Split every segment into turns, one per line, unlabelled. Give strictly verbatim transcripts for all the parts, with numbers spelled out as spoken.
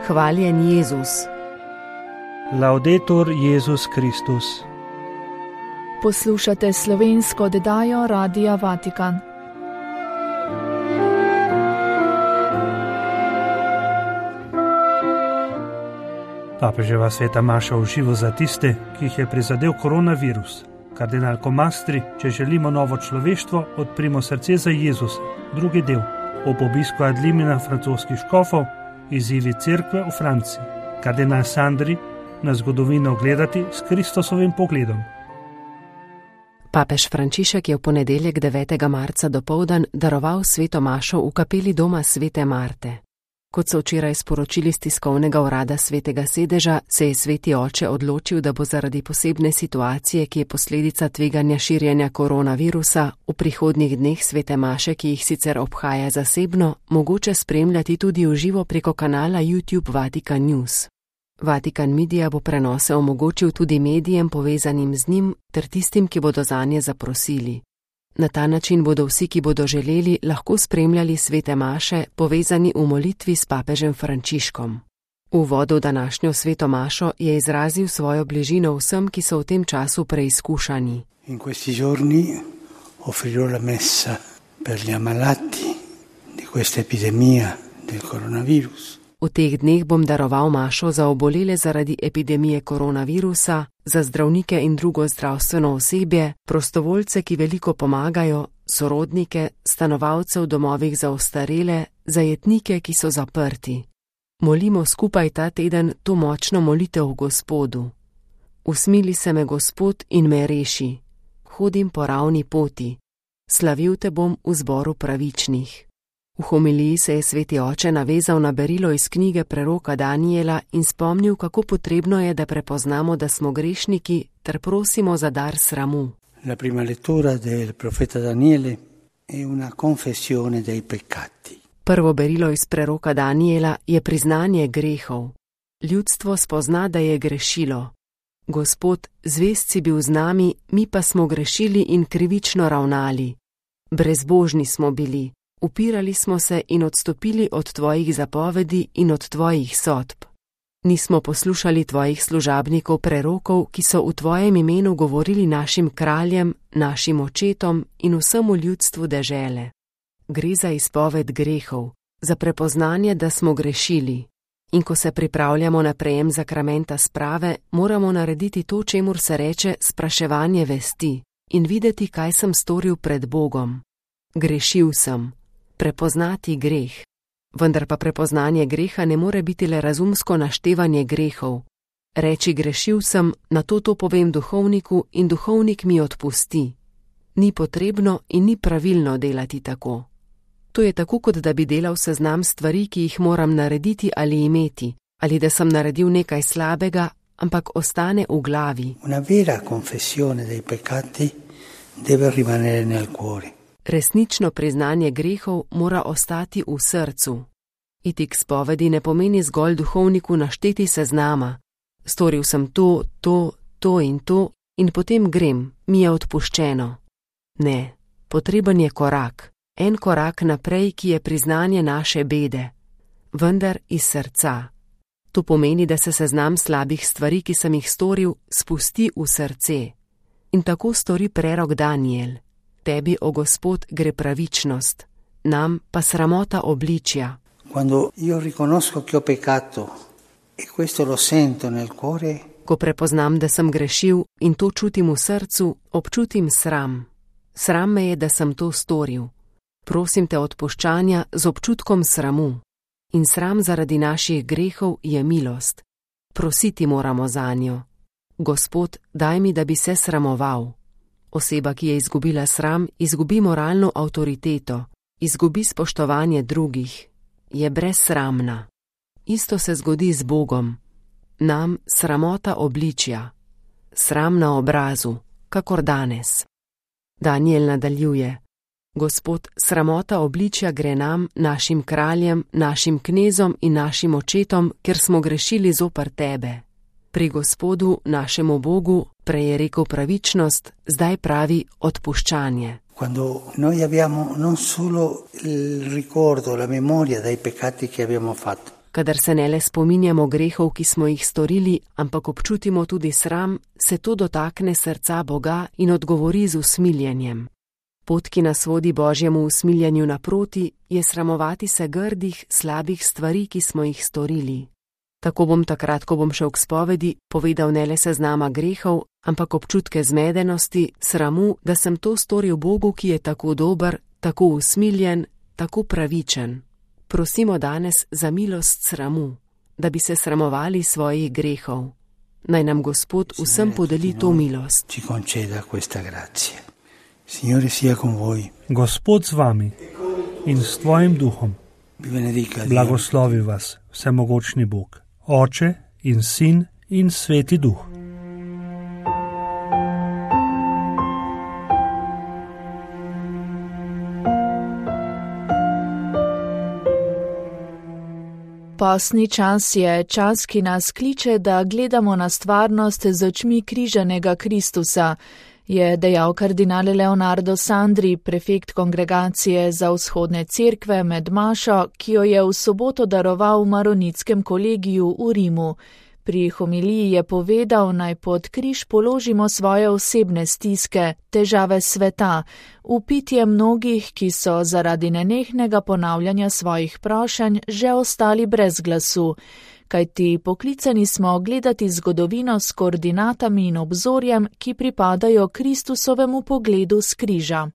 Hvaljen Jezus.
Laudetur Jezus Kristus.
Poslušate slovensko oddajo Radia Vatikan.
Papeževa sveta maša v živo za tiste, ki jih je prizadel koronavirus. Kardinal Comastri, če želimo novo človeštvo, odprimo srce za Jezus. Drugi del. Ob obisku ad limina francoskih škofov, izzivi cerkve v Franciji. Kardinal Sandri na zgodovino gledati s Kristusovim pogledom.
Papež Frančišek je v ponedeljek devetega marca dopoldan daroval sveto mašo v kapeli doma svete Marte. Kot so včeraj sporočili z tiskovnega urada svetega sedeža, se je sveti oče odločil, da bo zaradi posebne situacije, ki je posledica tveganja širjenja koronavirusa, v prihodnjih dneh svete maše, ki jih sicer obhaja zasebno, mogoče spremljati tudi v živo preko kanala YouTube Vatikan News. Vatikan Media bo prenose omogočil tudi medijem povezanim z njim ter tistim, ki bodo zanje zaprosili. Na ta način bodo vsi, ki bodo želeli, lahko spremljali svete maše, povezani v molitvi s papežem Frančiškom. V uvodu v današnjo sveto mašo je izrazil svojo bližino vsem, ki so v tem času preizkušani.
In questi giorni offrirò la messa per gli ammalati di questa epidemia del coronavirus.
V teh dneh bom daroval mašo za obolele zaradi epidemije koronavirusa, za zdravnike in drugo zdravstveno osebje, prostovoljce, ki veliko pomagajo, sorodnike, stanovalce v domovih za ostarele, zajetnike, ki so zaprti. Molimo skupaj ta teden to močno molitev v Gospodu. Usmili se me Gospod in me reši. Hodim po ravni poti. Slavil te bom v zboru pravičnih. V homiliji se je sveti oče navezal na berilo iz knjige preroka Daniela in spomnil, kako potrebno je, da prepoznamo, da smo grešniki, ter prosimo za dar sramu.
La prima lettura del profeta Daniele è una confessione dei peccati.
Prvo berilo iz preroka Daniela je priznanje grehov. Ljudstvo spozna, da je grešilo. Gospod, zvest si bil z nami, mi pa smo grešili in krivično ravnali. Brezbožni smo bili. Upirali smo se in odstopili od tvojih zapovedi in od tvojih sodb. Nismo poslušali tvojih služabnikov prerokov, ki so v tvojem imenu govorili našim kraljem, našim očetom in vsemu ljudstvu dežele. Gre za izpoved grehov, za prepoznanje, da smo grešili. In ko se pripravljamo na prejem zakramenta sprave, moramo narediti to, čemur se reče spraševanje vesti in videti, kaj sem storil pred Bogom. Grešil sem. Prepoznati greh. Vendar pa prepoznanje greha ne more biti le razumsko naštevanje grehov. Reči grešil sem, nato to povem duhovniku in duhovnik mi odpusti. Ni potrebno in ni pravilno delati tako. To je tako, kot da bi delal seznam stvari, ki jih moram narediti ali imeti, ali da sem naredil nekaj slabega, ampak ostane v glavi.
Una vera confessione dei peccati deve rimanere nel cuore.
Resnično priznanje grehov mora ostati v srcu. Iti k spovedi ne pomeni zgolj duhovniku našteti seznama. Storil sem to, to, to in to in potem grem, mi je odpuščeno. Ne, potreben je korak, en korak naprej, ki je priznanje naše bede, vendar iz srca. To pomeni, da se seznam slabih stvari, ki sem jih storil, spusti v srce. In tako stori prerok Daniel. Tebi, o Gospod, gre pravičnost, nam pa sramota obličja.
Quando io riconosco che ho peccato e questo lo sento nel cuore,
ko prepoznam, da sem grešil in to čutim v srcu, občutim sram. Sram me je, da sem to storil. Prosim te odpuščanja z občutkom sramu. In sram zaradi naših grehov je milost. Prositi moramo zanjo. Gospod, daj mi, da bi se sramoval. Oseba, ki je izgubila sram, izgubi moralno avtoriteto, izgubi spoštovanje drugih, je brezsramna. Isto se zgodi z Bogom. Nam sramota obličja, sram na obrazu, kakor danes. Daniel nadaljuje. Gospod, sramota obličja gre nam, našim kraljem, našim knezom in našim očetom, ker smo grešili zoper tebe. Pri Gospodu, našemu Bogu, prej je rekel pravičnost, zdaj pravi odpuščanje.
Quando noi abbiamo non solo il ricordo, la memoria dei peccati che abbiamo fatto,
Kadar se ne le spominjamo grehov, ki smo jih storili, ampak občutimo tudi sram, se to dotakne srca Boga in odgovori z usmiljenjem. Pot, ki nas vodi Božjemu usmiljenju naproti, je sramovati se grdih, slabih stvari, ki smo jih storili. Tako bom takrat, ko bom šel k spovedi, povedal ne le seznama grehov, ampak občutke zmedenosti, sramu, da sem to storil Bogu, ki je tako dober, tako usmiljen, tako pravičen. Prosimo danes za milost sramu, da bi se sramovali svojih grehov. Naj nam Gospod vsem podeli to milost.
Gospod z vami in s tvojim duhom. Blagoslovi vas, vsemogočni Bog, Oče in Sin in Sveti Duh.
Postni čas je čas, ki nas kliče, da gledamo na stvarnost z očmi križanega Kristusa, je dejal kardinal Leonardo Sandri, prefekt kongregacije za vzhodne cerkve med mašo, ki jo je v soboto daroval v Maronitskem kolegiju v Rimu. Pri homiliji je povedal, naj pod križ položimo svoje osebne stiske, težave sveta, vpitje mnogih, ki so zaradi nenehnega ponavljanja svojih prošenj že ostali brez glasu, kajti poklicani smo gledati zgodovino s koordinatami in obzorjem, ki pripadajo Kristusovemu pogledu s križa.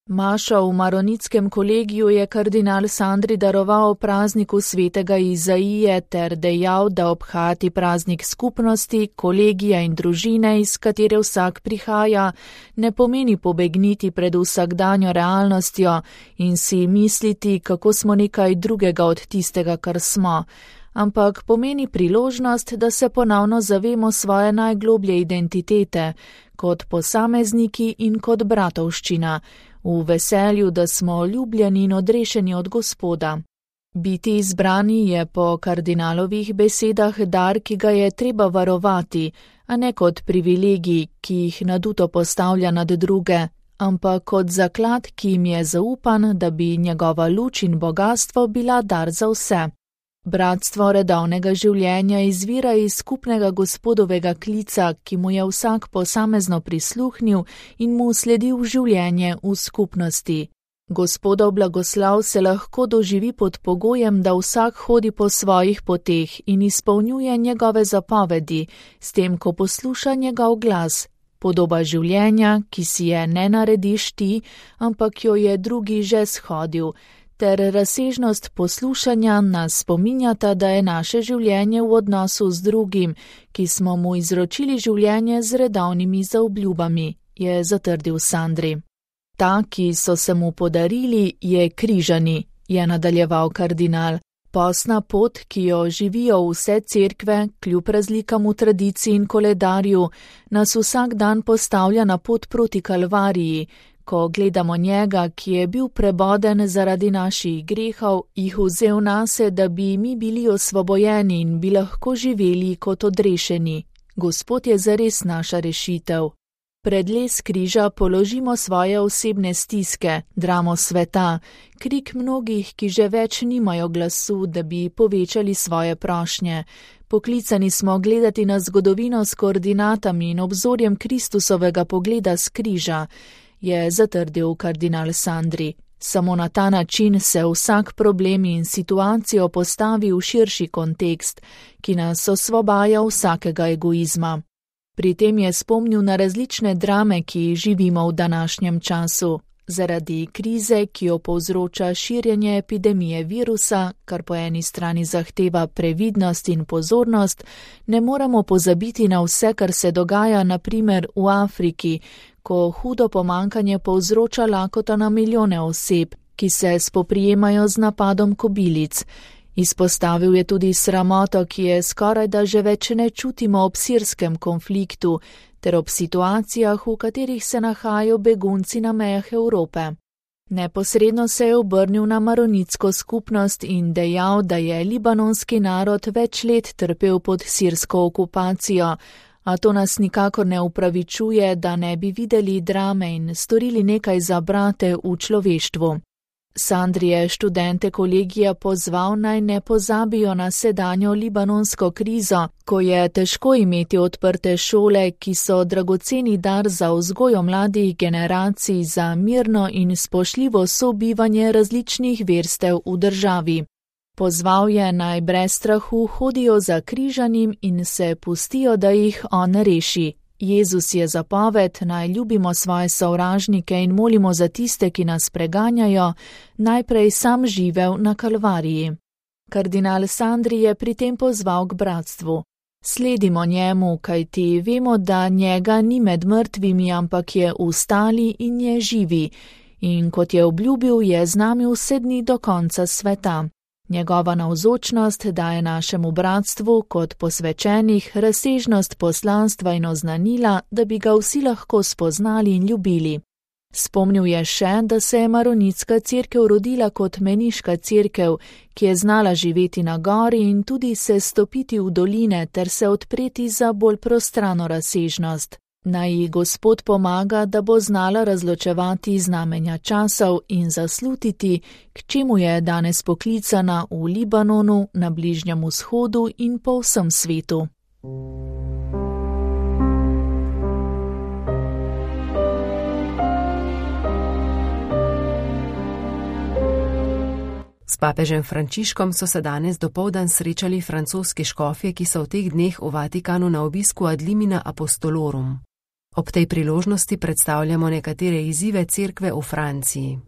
Mašo v Maronitskem kolegiju je kardinal Sandri daroval prazniku svetega Izaije ter dejal, da obhajati praznik skupnosti, kolegija in družine, iz katere vsak prihaja, ne pomeni pobegniti pred vsakdanjo realnostjo in si misliti, kako smo nekaj drugega od tistega, kar smo, ampak pomeni priložnost, da se ponovno zavemo svoje najgloblje identitete, kot posamezniki in kot bratovščina, v veselju, da smo ljubljeni in odrešeni od Gospoda. Biti izbrani je po kardinalovih besedah dar, ki ga je treba varovati, a ne kot privilegij, ki jih naduto postavlja nad druge, ampak kot zaklad, ki jim je zaupan, da bi njegova luč in bogastvo bila dar za vse. Bratstvo redovnega življenja izvira iz skupnega Gospodovega klica, ki mu je vsak posamezno prisluhnil in mu sledil življenje v skupnosti. Gospodov blagoslav se lahko doživi pod pogojem, da vsak hodi po svojih poteh in izpolnjuje njegove zapovedi, s tem, ko posluša njegov glas. Podoba življenja, ki si je ne narediš ti, ampak jo je drugi že shodil, ter razsežnost poslušanja nas spominjata, da je naše življenje v odnosu z drugim, ki smo mu izročili življenje z redovnimi zaobljubami, je zatrdil Sandri. Ta, ki so se mu podarili, je križani, je nadaljeval kardinal. Postna pot, ki jo živijo vse cerkve, kljub razlikam v tradiciji in koledarju, nas vsak dan postavlja na pot proti Kalvariji, ko gledamo njega, ki je bil preboden zaradi naših grehov, jih vzel nase, da bi mi bili osvobojeni in bi lahko živeli kot odrešeni. Gospod je zares naša rešitev. Pred les križa položimo svoje osebne stiske, dramo sveta, krik mnogih, ki že več nimajo glasu, da bi povečali svoje prošnje. Poklicani smo gledati na zgodovino s koordinatami in obzorjem Kristusovega pogleda s križa, je zatrdil kardinal Sandri. Samo na ta način se vsak problem in situacijo postavi v širši kontekst, ki nas osvobaja vsakega egoizma. Pri tem je spomnil na različne drame, ki živimo v današnjem času. Zaradi krize, ki jo povzroča širjenje epidemije virusa, kar po eni strani zahteva previdnost in pozornost, ne moremo pozabiti na vse, kar se dogaja na primer v Afriki, ko hudo pomankanje povzroča lakoto na milijone oseb, ki se spoprijemajo z napadom kobilic. Izpostavil je tudi sramoto, ki je skoraj da že več ne čutimo ob sirskem konfliktu, ter ob situacijah, v katerih se nahajajo begunci na mejah Evrope. Neposredno se je obrnil na maronitsko skupnost in dejal, da je libanonski narod več let trpel pod sirsko okupacijo, a to nas nikakor ne upravičuje, da ne bi videli drame in storili nekaj za brate v človeštvu. Sandri je študente kolegija pozval, naj ne pozabijo na sedanjo libanonsko krizo, ko je težko imeti odprte šole, ki so dragoceni dar za vzgojo mladih generacij za mirno in spoštljivo sobivanje različnih verstev v državi. Pozval je, naj brez strahu hodijo za križanim in se pustijo, da jih on reši. Jezus je zapoved, naj ljubimo svoje sovražnike in molimo za tiste, ki nas preganjajo, najprej sam živel na Kalvariji. Kardinal Sandri je pri tem pozval k bratstvu. Sledimo njemu, kajti vemo, da njega ni med mrtvimi, ampak je vstali in je živi. In kot je obljubil, je z nami vse dni do konca sveta. Njegova navzočnost daje našemu bratstvu kot posvečenih razsežnost poslanstva in oznanila, da bi ga vsi lahko spoznali in ljubili. Spomnil je še, da se je maronitska cerkev rodila kot meniška cerkev, ki je znala živeti na gori in tudi se stopiti v doline ter se odpreti za bolj prostrano razsežnost. Naj ji Gospod pomaga, da bo znala razločevati znamenja časov in zaslutiti, k čemu je danes poklicana v Libanonu, na Bližnjem vzhodu in po vsem svetu.
S papežem Frančiškom so se danes dopoldan srečali francoski škofje, ki so v teh dneh v Vatikanu na obisku ad limina apostolorum. Ob tej priložnosti predstavljamo nekatere izzive cerkve v Franciji.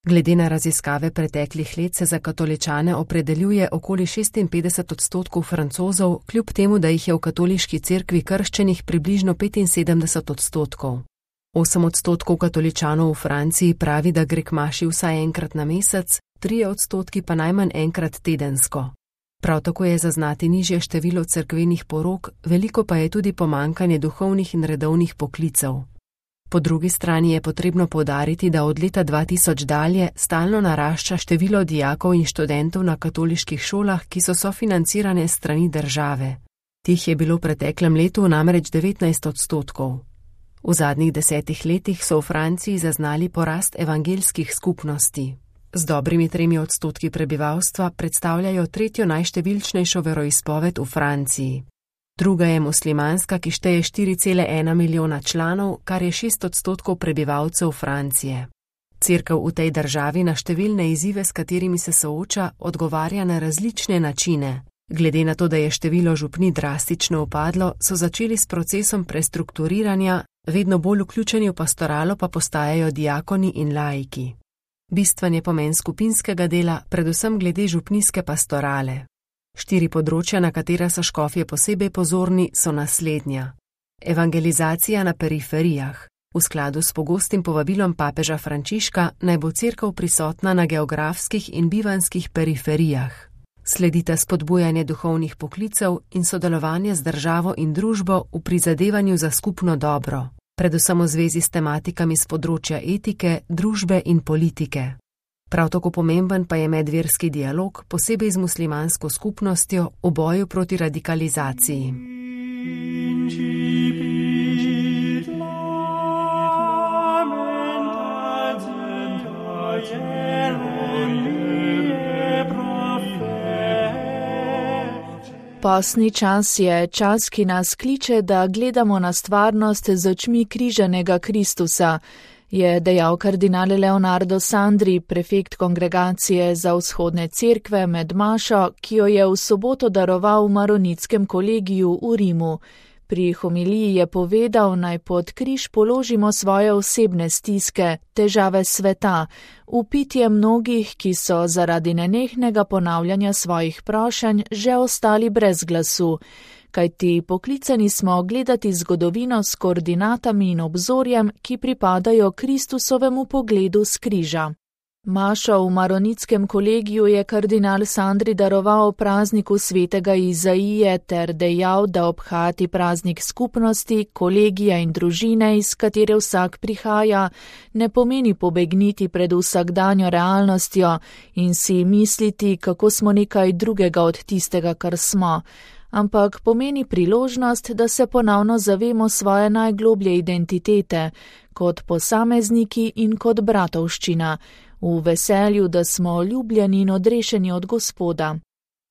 Glede na raziskave preteklih let se za katoličane opredeljuje okoli šestinpetdeset odstotkov Francozov, kljub temu, da jih je v katoliški cerkvi krščenih približno petinsedemdeset odstotkov. Osem odstotkov katoličanov v Franciji pravi, da gre k maši vsaj enkrat na mesec, trije odstotki pa najmanj enkrat tedensko. Prav tako je zaznati nižje število cerkvenih porok, veliko pa je tudi pomankanje duhovnih in redovnih poklicev. Po drugi strani je potrebno poudariti, da od leta dva tisoč dalje stalno narašča število dijakov in študentov na katoliških šolah, ki so sofinancirane s strani države. Tih je bilo v preteklem letu namreč devetnajst odstotkov. V zadnjih desetih letih so v Franciji zaznali porast evangeljskih skupnosti. Z dobrimi tremi odstotki prebivalstva predstavljajo tretjo najštevilčnejšo veroizpoved v Franciji. Druga je muslimanska, ki šteje štiri cele ena milijona članov, kar je šest odstotkov prebivalcev Francije. Cerkev v tej državi na številne izzive, s katerimi se sooča, odgovarja na različne načine. Glede na to, da je število župni drastično upadlo, so začeli s procesom prestrukturiranja, vedno bolj vključeni v pastoralo pa postajajo diakoni in laiki. Bistven je pomen skupinskega dela, predvsem glede župnijske pastorale. Štiri področja, na katera so škofje posebej pozorni, so naslednja. Evangelizacija na periferijah. V skladu s pogostim povabilom papeža Frančiška naj bo cerkev prisotna na geografskih in bivanskih periferijah. Sledita spodbujanje duhovnih poklicev in sodelovanje z državo in družbo v prizadevanju za skupno dobro, predvsem v zvezi s tematikami z področja etike, družbe in politike. Prav tako pomemben pa je medverski dialog, posebej z muslimansko skupnostjo v boju proti radikalizaciji.
Postni čas je čas, ki nas kliče, da gledamo na stvarnost z očmi križanega Kristusa, je dejal kardinal Leonardo Sandri, prefekt kongregacije za vzhodne cerkve med mašo, ki jo je v soboto daroval v maronitskem kolegiju v Rimu. Pri homiliji je povedal, naj pod križ položimo svoje osebne stiske, težave sveta, vpitje mnogih, ki so zaradi nenehnega ponavljanja svojih prošenj že ostali brez glasu, kajti poklicani smo gledati zgodovino s koordinatami in obzorjem, ki pripadajo Kristusovemu pogledu s križa. Mašo v maronitskem kolegiju je kardinal Sandri daroval prazniku svetega Izaije ter dejal, da obhajati praznik skupnosti, kolegija in družine, iz katere vsak prihaja, ne pomeni pobegniti pred vsakdanjo realnostjo in si misliti, kako smo nekaj drugega od tistega, kar smo, ampak pomeni priložnost, da se ponovno zavemo svoje najgloblje identitete, kot posamezniki in kot bratovščina, v veselju, da smo ljubljeni in odrešeni od Gospoda.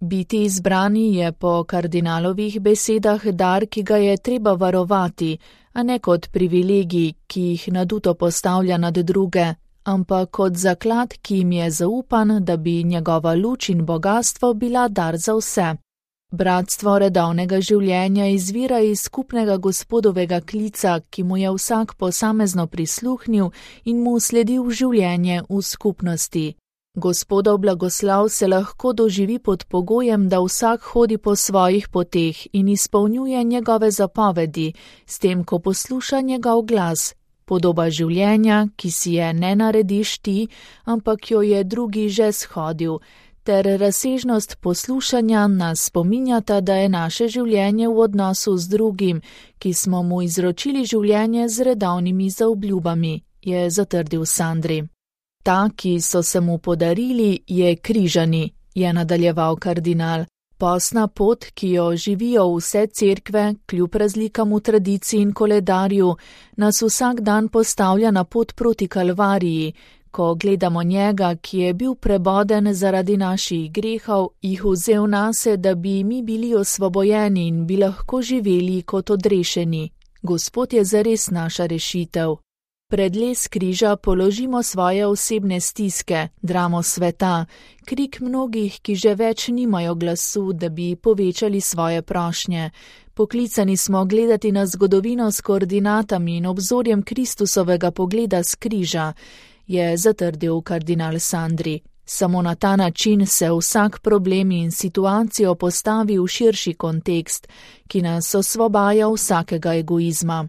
Biti izbrani je po kardinalovih besedah dar, ki ga je treba varovati, a ne kot privilegij, ki jih naduto postavlja nad druge, ampak kot zaklad, ki jim je zaupan, da bi njegova luč in bogastvo bila dar za vse. Bratstvo redovnega življenja izvira iz skupnega Gospodovega klica, ki mu je vsak posamezno prisluhnil in mu sledil življenje v skupnosti. Gospodov blagoslav se lahko doživi pod pogojem, da vsak hodi po svojih poteh in izpolnjuje njegove zapovedi, s tem, ko posluša njegov glas. Podoba življenja, ki si je ne narediš ti, ampak jo je drugi že shodil, ter razsežnost poslušanja nas spominjata, da je naše življenje v odnosu z drugim, ki smo mu izročili življenje z redovnimi zaobljubami, je zatrdil Sandri. Ta, ki so se mu podarili, je križani, je nadaljeval kardinal. Posna pot, ki jo živijo vse cerkve, kljub razlikam v tradiciji in koledarju, nas vsak dan postavlja na pot proti Kalvariji, ko gledamo njega, ki je bil preboden zaradi naših grehov, jih vzel nase, da bi mi bili osvobojeni in bi lahko živeli kot odrešeni. Gospod je zares naša rešitev. Pred les križa položimo svoje osebne stiske, dramo sveta, krik mnogih, ki že več nimajo glasu, da bi povečali svoje prošnje. Poklicani smo gledati na zgodovino s koordinatami in obzorjem Kristusovega pogleda s križa, je zatrdil kardinal Sandri. Samo na ta način se vsak problem in situacijo postavi v širši kontekst, ki nas osvobaja vsakega egoizma.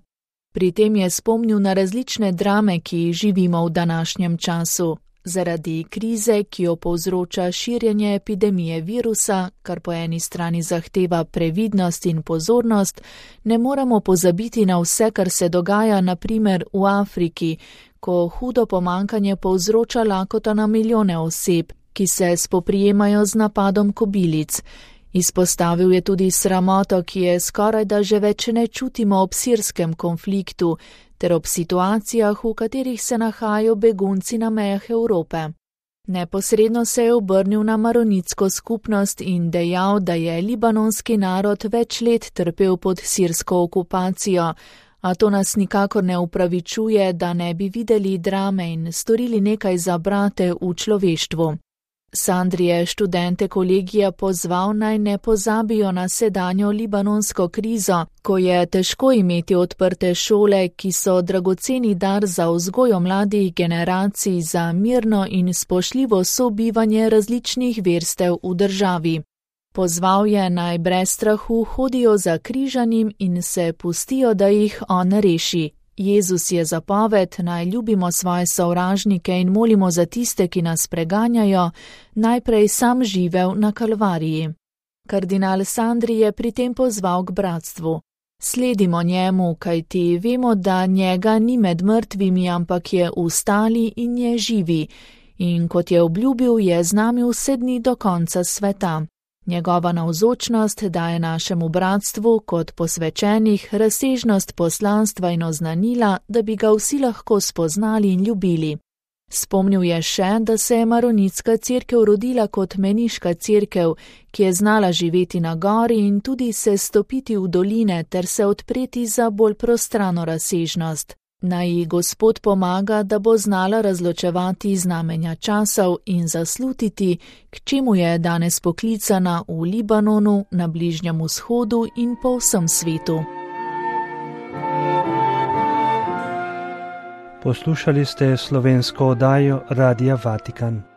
Pri tem je spomnil na različne drame, ki jih živimo v današnjem času. Zaradi krize, ki jo povzroča širjenje epidemije virusa, kar po eni strani zahteva previdnost in pozornost, ne moremo pozabiti na vse, kar se dogaja na primer v Afriki, ko hudo pomankanje povzroča lakota na milijone oseb, ki se spoprijemajo z napadom kobilic. Izpostavil je tudi sramoto, ki je skoraj da že več ne čutimo ob sirskem konfliktu, ter ob situacijah, v katerih se nahajajo begunci na mejah Evrope. Neposredno se je obrnil na maronitsko skupnost in dejal, da je libanonski narod več let trpel pod sirsko okupacijo, a to nas nikakor ne upravičuje, da ne bi videli drame in storili nekaj za brate v človeštvu. Sandri je študente kolegija pozval, naj ne pozabijo na sedanjo libanonsko krizo, ko je težko imeti odprte šole, ki so dragoceni dar za vzgojo mladih generacij za mirno in spoštljivo sobivanje različnih verstev v državi. Pozval je, naj brez strahu hodijo za križanim in se pustijo, da jih on reši. Jezus je zapoved, naj ljubimo svoje sovražnike in molimo za tiste, ki nas preganjajo, najprej sam živel na Kalvariji. Kardinal Sandri je pri tem pozval k bratstvu. Sledimo njemu, kajti vemo, da njega ni med mrtvimi, ampak je vstali in je živi, in kot je obljubil, je z nami vse dni do konca sveta. Njegova navzočnost daje našemu bratstvu kot posvečenih razsežnost poslanstva in oznanila, da bi ga vsi lahko spoznali in ljubili. Spomnil je še, da se je maronitska cerkev rodila kot meniška cerkev, ki je znala živeti na gori in tudi se stopiti v doline ter se odpreti za bolj prostrano razsežnost. Naj ji Gospod pomaga, da bo znala razločevati znamenja časov in zaslutiti, k čemu je danes poklicana v Libanonu, na Bližnjem vzhodu in po vsem svetu.
Poslušali ste slovensko oddajo Radia Vatikan.